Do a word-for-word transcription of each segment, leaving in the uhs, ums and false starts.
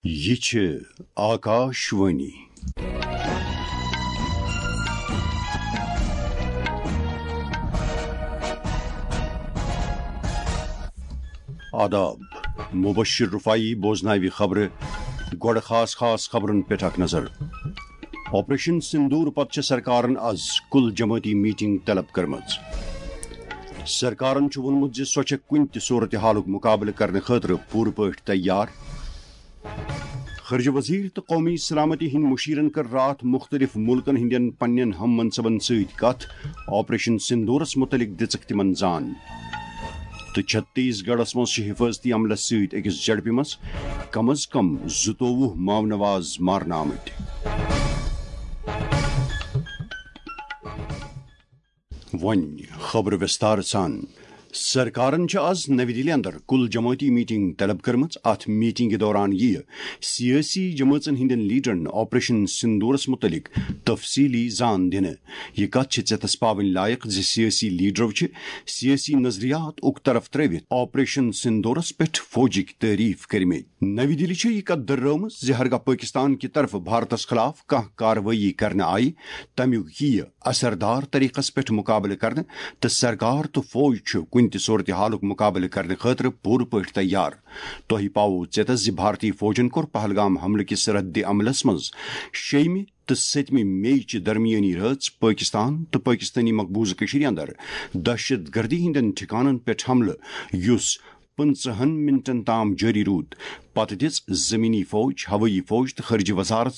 یہِ چھِ آکاش وانی۔ آداب، مبشر رفاعی بوزناوِ خبرٕ۔ گۄڈٕ خاص خاص خبرن پٮ۪ٹھ اکھ نظر۔ آپریشن سندور پتہٕ چھِ سرکارن از کل جمٲعتی میٹنگ طلب کٔرمٕژ۔ سرکارن چھُ ووٚنمُت زِ سۄ چھےٚ کُنہِ تہِ صورتحالُک مقابلہٕ کرنہٕ خٲطرٕ پوٗرٕ پٲٹھۍ تیار۔ خارجہ وزیر تہٕ قومی سلامتی ہٕنٛدۍ مشیرن کٔر راتھ مختلف ملکن ہٕنٛدٮ۪ن پننٮ۪ن ہم منصبن سۭتۍ کتھ۔ آپریشن سندورس متعلق دِژٕکھ تِمن زان۔ تہٕ چھتیس گڑھس منٛز چھِ حفاظتی عملس سۭتۍ أکِس جھڑپہِ منٛز کم از کم زٕتووُہ ماونواز مارنہٕ آمٕتۍ۔ وۄنۍ خبرٕ وِستار سان۔ سرکارن چھِ آز نَوِ دِلہِ اندر کُل جمٲعتی میٹنگ طلب کٔرمٕژ۔ اتھ میٹنگہِ دوران یِیہِ سیٲسی جمٲژن ہٕنٛدٮ۪ن لیڈرن آپریشن سندورس متعلق تفصیلی زان دِنہٕ۔ یہِ کتھ چھِ ژٮ۪تس پاوٕنۍ لایق زِ سیٲسی لیڈرو چھِ سیٲسی نظریات اُک طرف ترٲوِتھ آپریشن سندورس پٮ۪ٹھ فوجٕکۍ تعریف کٔرمٕتۍ۔ نَوِ دِلہِ چھِ یہِ کتھ دٔرٲومٕژ زِ ہرگاہ پٲکستان کہِ طرفہٕ بھارتس خلاف کانٛہہ کاروٲیی کرنہٕ آیہِ، تمیُک یِیہِ اثردار طریقس پٮ۪ٹھ مقابلہٕ کرنہٕ، تہٕ سرکار تہٕ فوج چھُ کُنہِ تہِ صورتحالُک مقابلہٕ کرنہٕ خٲطرٕ پوٗرٕ پٲٹھۍ تیار۔ تۄہہِ پاوو ژٮ۪تس زِ بھارتی فوجن کوٚر پہلگام حملہٕ کِس رد عملس منٛز شیٚیِمہِ تہٕ سٔتمہِ مئی چہِ درمیٲنی رٲژ پٲکستان تہٕ پٲکستٲنی مقبوضہٕ کٔشیٖرِ اندر دہشت گردی ہٕنٛدٮ۪ن ٹھِکانن پٮ۪ٹھ حملہٕ، یُس پٕنٛژٕہن منٹن تام جٲری روٗد۔ پتہٕ دِژ زمینی فوج، ہوٲیی فوج تہٕ خارجہ وزارت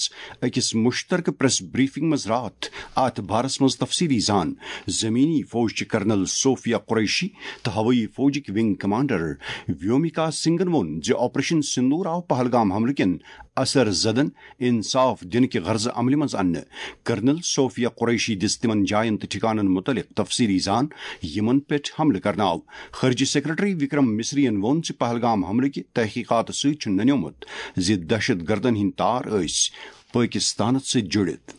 أکِس مشترکہٕ پریس بریفنگ منٛز راتھ اتھ بارس منٛز تفصیلی زان۔ زمینی فوج چہِ کرنل صوفیہ قریشی تہٕ ہوٲیی فوجٕکۍ ونگ کمانڈر ویومکا سنگھن ووٚن زِ آپریشن سندور آو پہلگام حملہٕ کٮ۪ن اثر زدن انصاف دِنہٕ کہِ غرضہٕ عملہِ منٛز اننہٕ۔ کرنل صوفیہ قریشی دِژ تِمن جاین تہٕ ٹھِکانن مُتعلق تفصیلی زان، یِمن پٮ۪ٹھ حملہٕ کرنہٕ آو۔ خارجہ سیکرٹری وکرم مصری ین ووٚن زِ پہلگام حملہٕ کہِ تحقیقاتہٕ سۭتۍ چھُ ننیومُت زِ دہشت گردن ہٕنٛدۍ تار ٲسۍ پٲکستانس سۭتۍ جُڑِتھ۔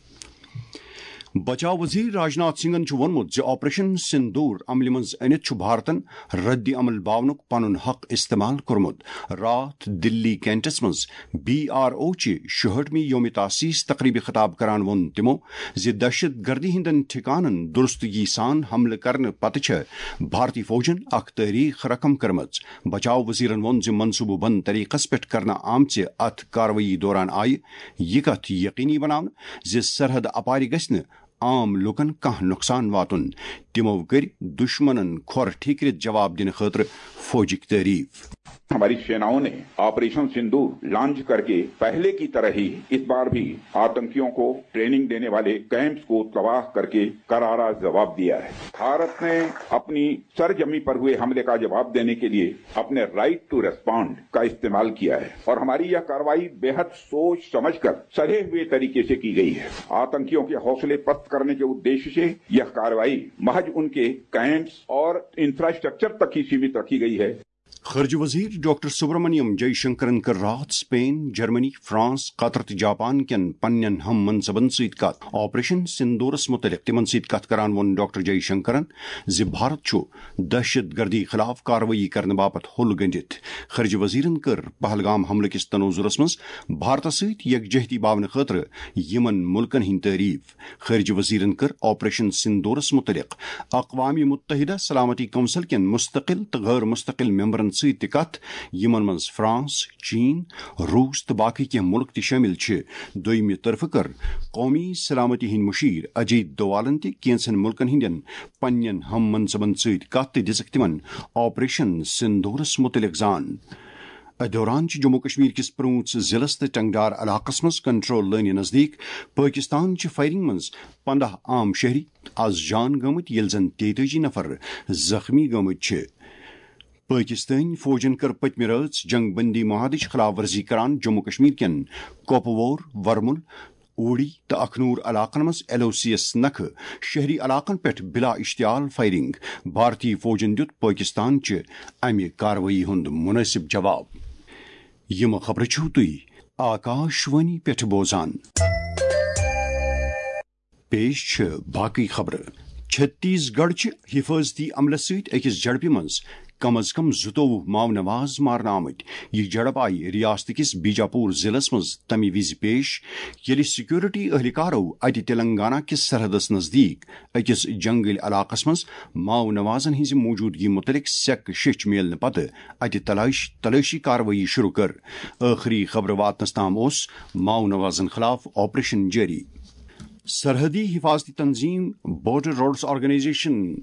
بچاو وزیر راجناتھ سنگھن چھُ ووٚنمُت زِ آپریشن سندور عملہِ منٛز أنِتھ چھُ بھارتن رد عمل باونُک پنُن حق استعمال کوٚرمُت۔ راتھ دلی کینٹس منٛز بی آر او چہِ شُہٲٹھمہِ یوم تاسیس تقریبہِ خطاب کران ووٚن تِمو زِ دہشت گردی ہٕنٛدٮ۪ن ٹھِکانن درستگی سان حملہٕ کرنہٕ پتہٕ چھےٚ بھارتی فوجن اکھ تٲریخ رقم کٔرمٕژ۔ بچاو وزیرن ووٚن زِ منصوبہٕ بنٛد طریقس پٮ۪ٹھ کرنہٕ آمژِ اتھ کاروٲیی دوران آیہِ یہِ کتھ یقینی بناونہٕ زِ سرحد اپارِ گژھِ نہٕ عام لوٗکن کانٛہہ نۄقصان واتُن۔ تِمو کٔرۍ دُشمنن کھۄر ٹھیکرِتھ جواب دِنہٕ خٲطرٕ فوجٕکۍ تعریف۔ ہماری سیناؤں نے آپریشن سندور لانچ کر کے پہلے کی طرح ہی اس بار بھی آتنکیوں کو ٹریننگ دینے والے کیمپس کو تباہ کر کے کرارا جواب دیا ہے۔ بھارت نے اپنی سرزمین پر ہوئے حملے کا جواب دینے کے لیے اپنے رائٹ ٹو ریسپونڈ کا استعمال کیا ہے اور ہماری یہ کارروائی بے حد سوچ سمجھ کر سدھے ہوئے طریقے سے کی گئی ہے۔ آتنکیوں کے حوصلے پست کرنے کے ادیش سے یہ کارروائی محض ان کے کیمپس اور انفراسٹرکچر تک ہی سیمت رکھی گئی ہے۔ خارجہ وزیر ڈاکٹر سبرامنیم جے شنکرن کٔر راتھ سپین، جرمنی، فرانس، قطر تہٕ جاپان کٮ۪ن پننٮ۪ن ہم منصبن سۭتۍ کتھ۔ آپریشن سندورس متعلق تِمن سۭتۍ کتھ کران ووٚن ڈاکٹر جے شنکرن زِ بھارت چھُ دہشت گردی خلاف کاروٲیی کرنہٕ باپتھ ہوٚل گٔنڈِتھ۔ خارجہ وزیرن کٔر پہلگام حملہٕ کِس تناظرس منٛز بھارتس سۭتۍ یکجہتی باونہٕ خٲطرٕ یِمن مُلکن ہٕنٛدۍ تعریف۔ خارجہ وزیرن کٔر آپریشن سندورس متعلق اقوام متحدہ سلامتی کونسل کٮ۪ن مستقل تہٕ غٲر مستقل ممبرن سۭتۍ تہِ کتھ، یِمن منٛز فرانس، چین، روس تہٕ باقی کینٛہہ مُلک تہِ شٲمِل چھِ۔ دوٚیمہِ طرفہٕ کٔر قومی سلامتی ہٕنٛدۍ مشیر اجیت دووالن تہِ کینٛژن مُلکن ہٕنٛدٮ۪ن پننٮ۪ن ہم منصبن سۭتۍ کتھ تہٕ دِژٕکھ تِمن آپریشن سندورس متعلق زان۔ اتھ دوران چھِ جموں کشمیر کِس پرونژھ ضلعس تہٕ ٹنگڈار علاقس منٛز کنٹرول لٲنہِ نزدیٖک پٲکستان چہِ فائرنگ منٛز پنداہ عام شہری از جان گٔمٕتۍ، ییٚلہِ زن تیتٲجی نفر زخمی گٔمٕتۍ چھِ۔ پٲکستٲنۍ فوجن کٔر پٔتمہِ رٲژ جنگ بندی معاہدٕچ خلاف ورزی کران جموں کشمیر کٮ۪ن کوپوور، ورمُل، اوڑی تہٕ اکھنور علاقن منٛز ایل او سی یَس نکھٕ شہری علاقن پٮ۪ٹھ بلا اشتعال فائرنگ۔ بھارتی فوجن دیُت پٲکستان چہِ امہِ کاروٲیی ہُنٛد مُنٲسِب جواب۔ یِم خبرٕ چھِو تُہۍ آکاش وانی پٮ۪ٹھ بوزان۔ پیش چھِ باقٕے خبرٕ۔ چھتیس گڑھ چھِ حفاظتی عملس سۭتۍ أکِس جھڑپہِ منٛز کم از کم زٕتووُہ ماؤ نواز مارنہٕ آمٕتۍ۔ یہِ جھڑپ آیہِ ریاست کِس بیجاپور ضلعس منٛز تَمہِ وِزِ پیش، ییٚلہِ سیکورٹی اہلکارو اَتہِ تلنگانہ کِس سرحدس نزدیٖک أکِس جنگل علاقس منٛز ماؤ نوازن ہٕنٛزِ موجودگی مُتعلق سیٚکھ شیٚچھ میلنہٕ پتہٕ اَتہِ تلٲش-، تلٲشی کاروٲیی شروع کٔر۔ ٲخری خبرٕ واتنس تام اوس ماؤ نوازن خلاف آپریشن جٲری۔ سرحدی حفاظتی تنظیم بارڈر روڈز آرگنائزیشن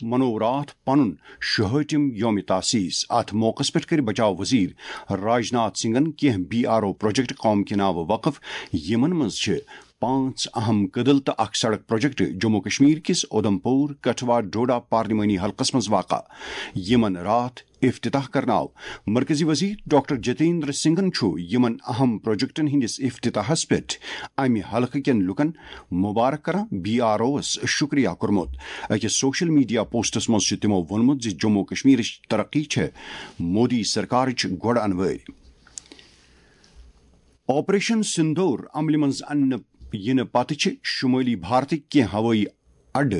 منوو راتھ پنُن شُہٲٹھِم یوم تاسیس۔ اتھ موقعس پٮ۪ٹھ کٔرۍ بچاو وزیر راجناتھ سنگھن کینٛہہ بی آر او پروجیکٹ قوم کہِ ناوٕ وقف، یِمن منٛز چھِ پانٛژھ اہم کدل تہٕ اکھ سڑک پروجیکٹ جموں کشمیر کِس اودھمپور، کٹھوا، ڈوڈا پارلیمانی حلقس منٛز واقع، یِمن راتھ افتتاح کرنہٕ آو۔ مرکزی وزیر ڈاکٹر جتیندر سنگھن چھُ یِمن اہم پروجیکٹن ہٕنٛدِس افتتاحس پٮ۪ٹھ امہِ حلقہٕ کٮ۪ن لوٗکن مبارک کران بی آر اوس شُکریہ کوٚرمُت۔ أکِس سوشل میڈیا پوسٹس منٛز چھُ تِمو ووٚنمُت زِ جموں کشمیرٕچ ترقی چھےٚ مودی سرکارٕچ گۄڈٕ انوٲرۍ۔ آپریشن سندور عملہِ منٛز اننہٕ یِنہٕ پتہٕ چھِ شمٲلی بھارتٕکۍ کینٛہہ ہوٲیی اڈٕ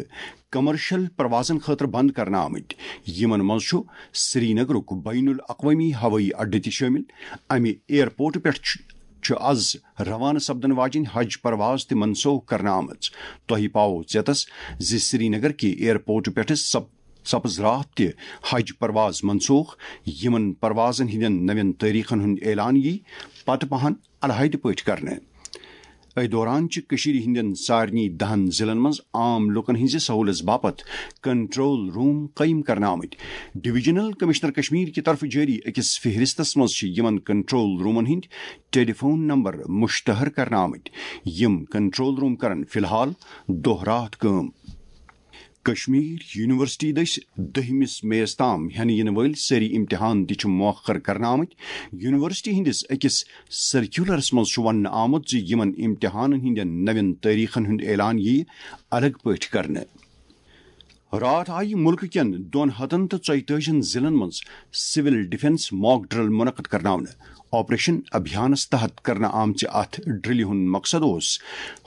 کمرشل پروازن خٲطرٕ بند کرنہٕ آمٕتۍ، یِمن منٛز چھُ سرینگرُک بین الاقوٲمی ہوٲیی اڈٕ تہِ شٲمِل۔ امہِ ایئرپورٹ پٮ۪ٹھ چھُ، چھُ از روانہٕ سپدن واجیٚنۍ حج پرواز تہِ منسوخ کرنہٕ آمٕژ۔ تۄہہِ پاوو ژیتس زِ سرینگر کہِ ایئرپورٹ پٮ۪ٹھٕ سپ-، سپٕز راتھ تہِ حج پرواز منسوخ، یِمن پروازن ہٕنٛدٮ۪ن نوٮ۪ن تٲریخن ہُنٛد اعلان یی پتہٕ پہن علیحدٕ پٲٹھۍ کرنہٕ۔ أتھۍ دوران چھِ کٔشیٖرِ ہٕنٛدٮ۪ن سارنٕے دَہَن ضلعن منٛز عام لوٗکَن ہٕنٛزِ سہوٗلژ باپتھ کنٹرول روم قٲیِم کرنہٕ آمٕتۍ۔ ڈویژنل کمشنر کشمیر کہِ طرفہٕ جٲری أکِس فہرستس منٛز چھِ یِمَن کنٹرول رومَن ہٕنٛدۍ ٹیلی فون نمبر مشتہر کرنہٕ آمٕتۍ۔ یِم کنٹرول روم کرن فی الحال دۄہ راتھ کٲم۔ کشمیر یونیورسٹی دٔسۍ دٔہمِس مئیس تام ہٮ۪نہٕ یِنہٕ وٲلۍ سٲری امتحان تہِ چھِ مؤخر کرنہٕ آمٕتۍ۔ یونیورسٹی ہٕنٛدِس أکِس سرکیولرس منٛز چھُ وننہٕ آمُت زِ یِمن امتحانن ہٕنٛدٮ۪ن نوٮ۪ن تٲریخن ہُنٛد اعلان یِیہِ الگ پٲٹھۍ کرنہٕ۔ راتھ آیہِ مُلکہٕ کٮ۪ن دۄن ہتن تہٕ ژۄیتٲجی ہن ضلعن منٛز سول ڈیفنس mock drill منعقد کرناونہٕ۔ آپریشن ابھیانس تحت کرنہٕ آمژِ اتھ ڈرلہِ ہُنٛد مقصد اوس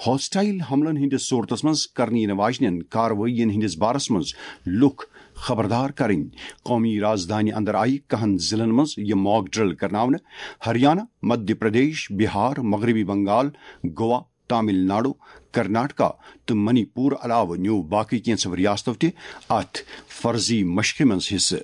ہوسٹائل حملن ہٕنٛدِس صورتس منٛز کرنہٕ یِنہٕ واجنٮ۪ن کاروٲیین ہٕنٛدِس بارس منٛز لوٗکھ خبردار کرٕنۍ۔ قومی رازدانہِ اندر آیہِ کہن ضلعن منٛز یہِ mock drill کرناونہٕ۔ ہریانہ، مدھیہ پردیش، بہار، مغربی بنگال، گوا، تامل ناڈو، کرناٹکا تہٕ منی پور علاوٕ نیوٗ باقٕے کینٛژھو ریاستو تہِ اتھ فرضی مشقہِ منٛز حصہٕ۔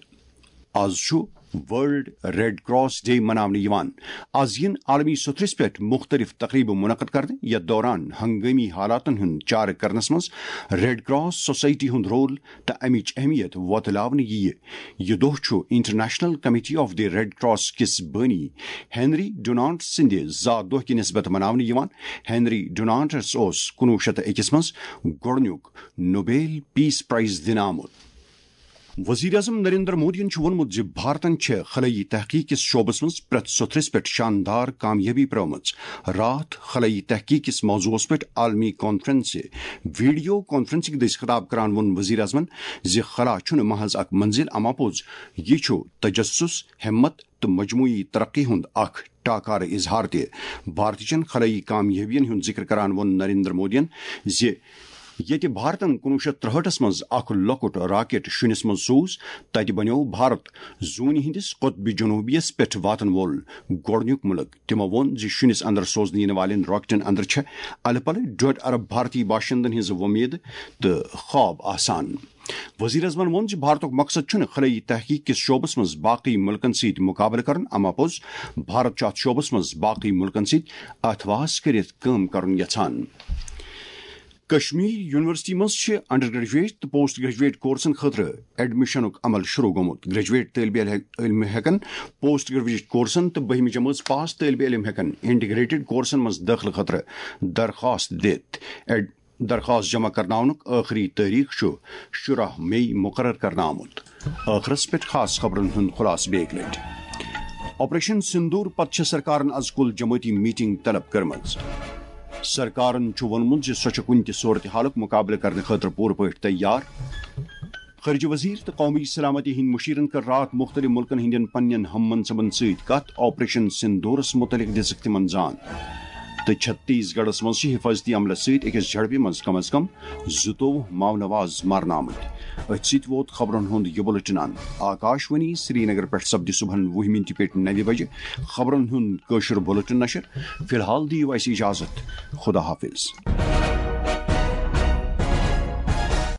از چھُ ورلڈ ریڈ کراس ڈے مناونہٕ یِوان۔ از یِن عالمی سوٚتھرِس پٮ۪ٹھ مُختٔلِف تقریٖبہٕ منعقد کرنہٕ، یَتھ دوران ہنگٲمی حالاتن ہُنٛد چارٕ کرنس منٛز ریڈ کراس سوسائٹی ہُنٛد رول تہٕ امِچ اہمیت وۄتلاونہٕ یِیہِ۔ یہِ دۄہ چھُ international committee of the red cross کِس بٲنی ہنری ڈونانٹ سٕنٛدِ زا دۄہ کہِ نسبت مناونہٕ یِوان۔ ہنری ڈونانٹس اوس کُنوُہ شیٚتھ تہٕ أکِس منٛز گۄڈٕنیُک نوبیل پیس پرائز دِنہٕ آمُت۔ وزیر اعظم نریندر مودیَن چھُ ووٚنمُت زِ بھارتن چھےٚ خلٲیی تحقیق کِس شعبس منٛز پرٛٮ۪تھ سوٚتھرِس پٮ۪ٹھ شاندار کامیٲبی پرٲومٕژ۔ راتھ خلٲیی تحقیق کِس موضوعس پٮ۪ٹھ عالمی کانفرنسہِ ویڈیو کانفرنسنگ دٔسۍ خطاب کران ووٚن وزیر اعظمن زِ خلا چھُنہٕ محض اکھ منزل، اما پوٚز یہِ چھُ تجسس، ہمت تہٕ مجموعی ترقی ہُنٛد اکھ ٹاکارٕ اظہار تہِ۔ بھارتٕچن خلٲیی کامیٲبین ہُنٛد ذکر کران ووٚن نریندر مودیَن زِ ییٚتہِ بھارتن کُنوُہ شیٚتھ ترٛہٲٹھس منٛز اکھ لۄکُٹ راکٹ شُنِس منٛز سوٗز، تتہِ بنیوو بھارت زوٗنہِ ہٕنٛدِس قطبِ جنوبیَس پٮ۪ٹھ واتن وول گۄڈٕنیُک مُلک۔ تِمو ووٚن زِ شُنِس اندر سوزنہٕ یِنہٕ والٮ۪ن راکٹن اندر چھےٚ الہٕ پلہٕ ڈۄڈ ارب بھارتی باشندن ہٕنٛز وۄمید تہٕ خواب آسان۔ وزیر اعظمن ووٚن زِ بھارتُک مقصد چھُنہٕ خلٲیی تحقیق کِس شعبس منٛز باقٕے مُلکن سۭتۍ مُقابلہٕ کرُن، اما پوٚز بھارت چھُ اتھ شعبس منٛز باقٕے مُلکن سۭتۍ اتھواس کٔرِتھ کٲم کرُن یژھان۔ کشمیر یونیورسٹی منٛز چھِ انڈر گریجویٹ تہٕ پوسٹ گریجویٹ کورسن خٲطرٕ ایڈمشنُک عمل شروع گوٚمُت۔ گریجویٹ طٲلبِ علم ہٮ۪کن پوسٹ گریجویٹ کورسن تہٕ بٔہمہِ جمٲژ پاس طٲلبِ علم ہٮ۪کن انٹیگریٹڈ کورسن منٛز دٲخلہٕ خٲطرٕ درخواست دِتھ۔ ایڈ-، درخواست جمع کرناونُک ٲخری تٲریخ چھُ شُراہ مئی مقرر کرنہٕ آمُت۔ ٲخرس پٮ۪ٹھ خاص خبرن ہُنٛد خلاصہٕ بیٚیہِ اکہِ لٹہِ۔ آپریشن سندور پتہٕ چھےٚ سرکارن از کل جمٲعتی میٹنگ طلب کٔرمٕژ۔ سرکارن چھُ ووٚنمُت زِ سۄ چھےٚ کُنہِ تہِ صورتحالُک مُقابلہٕ کرنہٕ خٲطرٕ پوٗرٕ پٲٹھۍ تیار۔ خارجہ وزیر تہٕ قومی سلامتی ہٕنٛدۍ مُشیرن کٔر راتھ مُختٔلِف مُلکن ہٕنٛدٮ۪ن پننٮ۪ن ہم منصبن سۭتۍ کتھ۔ آپریشن سندورس مُتعلق دِژٕکھ تِمن زان۔ تہٕ چھتیس گڑھس منٛز چھِ حفاظتی عملس سۭتۍ أکِس جھڑپہِ منٛز کم از کم زٕتووُہ ماونواز مرنہٕ آمٕتۍ۔ أتھۍ سۭتۍ ووت خبرن ہُنٛد یہِ بُلٹن اند۔ آکاش وانی سرینگر پٮ۪ٹھ سپدِ صبحن وُہ منٹہِ پٮ۪ٹھ نَوِ بجہِ خبرن ہُنٛد کٲشُر بُلٹن نشر۔ فی الحال دِیِو اَسہِ اجازت۔ خدا حافظ۔